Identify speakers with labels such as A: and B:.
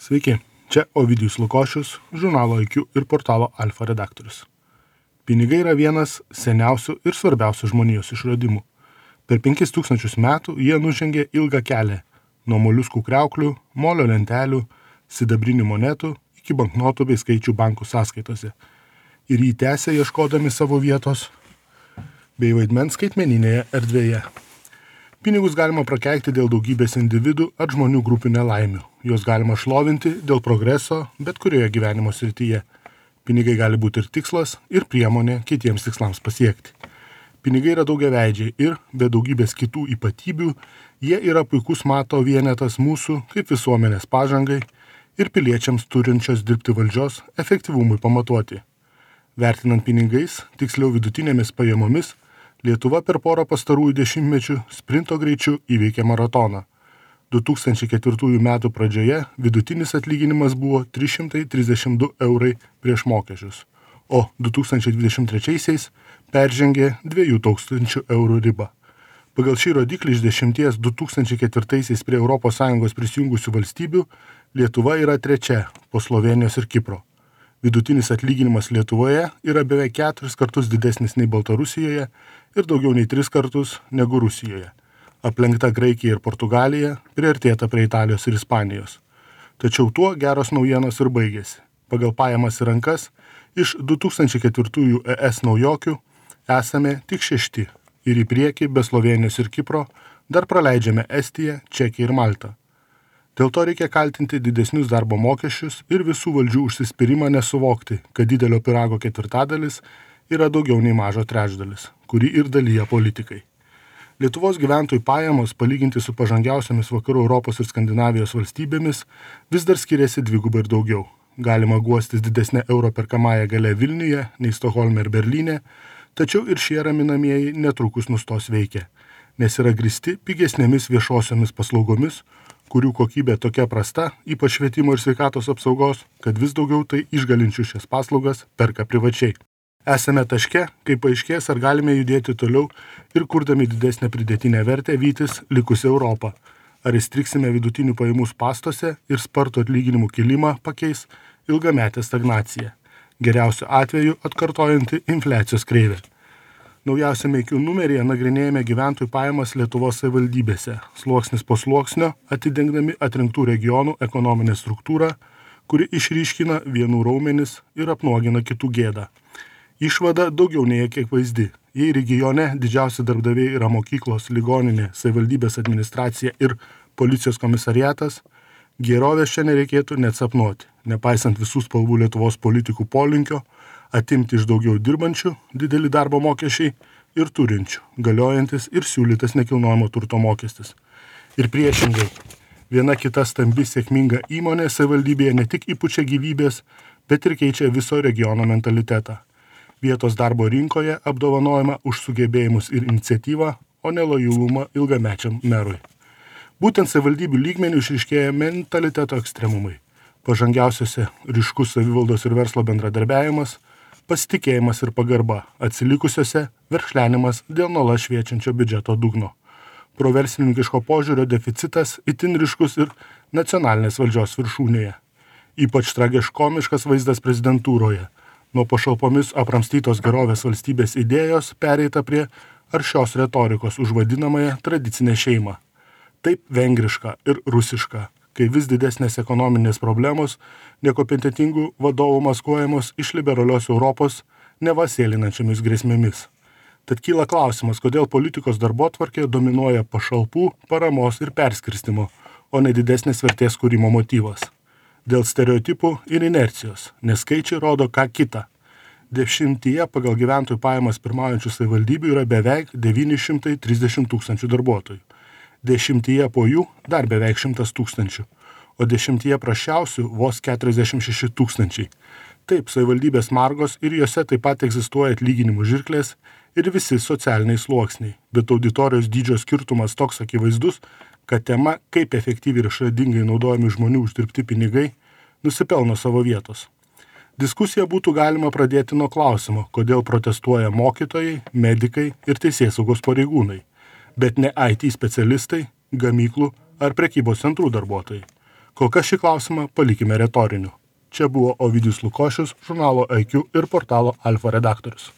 A: Sveiki, čia Ovidijus Lukošius, žurnalo IQ ir portalo Alfa redaktorius. Pinigai yra vienas seniausių ir svarbiausių žmonijos išradimų. Per 5000 metų jie nužengė ilgą kelią nuo moliuskų kriauklių, molio lentelių, sidabrinių monetų iki banknotų bei skaičių bankų sąskaitose. Ir jį tęsė ieškodami savo vietos bei vaidmens skaitmeninėje erdvėje. Pinigus galima prakeikti dėl daugybės individų ar žmonių grupių nelaimių. Juos galima šlovinti dėl progreso bet kurioje gyvenimo srityje. Pinigai gali būti ir tikslas, ir priemonė kitiems tikslams pasiekti. Pinigai yra daugiaveidžiai ir, be daugybės kitų ypatybių, jie yra puikus mato vienetas mūsų kaip visuomenės pažangai ir piliečiams turinčios dirbti valdžios efektyvumui pamatuoti. Vertinant pinigais, tiksliau vidutinėmis pajamomis, Lietuva per porą pastarųjų dešimtmečių sprinto greičiu įveikė maratoną. 2004 metų pradžioje vidutinis atlyginimas buvo 332 eurai prieš mokesčius, o 2023 peržengė 2000 eurų ribą. Pagal šį rodiklį iš 10 2004 prie ES prisijungusių valstybių Lietuva yra trečia po Slovėnijos ir Kipro. Vidutinis atlyginimas Lietuvoje yra beveik 4 kartus didesnis nei Baltarusijoje ir daugiau nei 3 kartus negu Rusijoje. Aplenkta Graikija ir Portugalija, priartėta prie Italijos ir Ispanijos. Tačiau tuo geros naujienos ir baigėsi. Pagal pajamas į rankas iš 2004 ES naujokių esame tik 6 ir į priekį be Slovėnijos ir Kipro dar praleidžiame Estiją, Čekiją ir Maltą. Dėl to reikia kaltinti didesnius darbo mokesčius ir visų valdžių užsispyrimą nesuvokti, kad didelio pyrago ketvirtadalis yra daugiau nei mažo trečdalis, kurį ir dalyja politikai. Lietuvos gyventojų pajamos, palyginti su pažangiausiamis vakarų Europos ir Skandinavijos valstybėmis, vis dar skiriasi dvigubai ir daugiau. Galima guostis didesnė euro perkamąją galia Vilniuje nei Stokholme ir Berlyne, tačiau ir šie raminamieji netrukus nustos veikia, nes yra grįsti pigesnėmis viešosiomis paslaugomis, kurių kokybė tokia prasta, ypač švietimo ir sveikatos apsaugos, kad vis daugiau tai išgalinčių šias paslaugas perka privačiai. Esame taške, kai paaiškės, ar galime judėti toliau ir kurdami didesnę pridėtinę vertę vytis likusią Europą. Ar įstriksime vidutinių pajamų spąstuose ir spartų atlyginimų kilimą pakeis ilgametę stagnaciją. Geriausiu atveju atkartojanti infliacijos kreivę. Naujausiame IQ numeryje nagrinėjame gyventojų pajamas Lietuvos savivaldybėse, sluoksnis po sluoksnio atidengdami atrinktų regionų ekonominę struktūrą, kuri išryškina vienų raumenis ir apnuogina kitų gėdą. Išvada daugiau nei kiek vaizdi. Jei regione didžiausi darbdaviai yra mokyklos, ligoninė, savivaldybės administracija ir policijos komisariatas, gerovės čia nereikėtų net sapnuoti, nepaisant visų spalvų Lietuvos politikų polinkio, atimti iš daugiau dirbančių didelį darbo mokesčiai ir turinčių, galiojantis ir siūlytas nekilnojamo turto mokestis. Ir priešingai, viena kita stambi sėkminga įmonė savivaldybėje ne tik įpučia gyvybės, bet ir keičia viso regiono mentalitetą. Vietos darbo rinkoje apdovanojama už sugebėjimus ir iniciatyvą, o ne lojalumą ilgamečiam merui. Būtent savivaldybių lygmenių išryškėja mentaliteto ekstremumai. Pažangiausiose ryškus savivaldos ir verslo bendradarbiavimas, pasitikėjimas ir pagarba, atsilikusiose verkšlenimas dėl nuolat šviečiančio biudžeto dugno. Proverslininkiško požiūrio deficitas itin ryškus ir nacionalinės valdžios viršūnėje. Ypač tragiškomiškas vaizdas prezidentūroje. Nuo pašalpomis apramstytos gerovės valstybės idėjos pereita prie aršios retorikos už vadinamąją tradicinę šeimą. Taip vengriška ir rusiška, kai vis didesnės ekonominės problemos nekompetentingų vadovų maskuojamos iš liberalios Europos neva sėlinančiamis grėsmėmis. Tad kyla klausimas, kodėl politikos darbotvarkėje dominuoja pašalpų, paramos ir perskirstimo, o ne didesnės vertės kūrimo motyvas. Dėl stereotipų ir inercijos, nes skaičiai rodo ką kita. 10 pagal gyventojų pajamas pirmaujančių savivaldybių yra beveik 930 000 darbuotojų. 10 po jų dar beveik 100 000, o 10 prasčiausių vos 46 000. Taip, savivaldybės margos ir jose taip pat egzistuoja atlyginimų žirklės ir visi socialiniai sluoksniai, bet auditorijos dydžio skirtumas toks akivaizdus, kad tema, kaip efektyviai ir išradingai naudojami žmonių uždirbti pinigai, nusipelno savo vietos. Diskusiją būtų galima pradėti nuo klausimo, kodėl protestuoja mokytojai, medikai ir teisėsaugos pareigūnai, bet ne IT specialistai, gamyklų ar prekybos centrų darbuotojai. Kol kas šį klausimą palikime retoriniu. Čia buvo Ovidijus Lukošius, žurnalo IQ ir portalo Alfa redaktorius.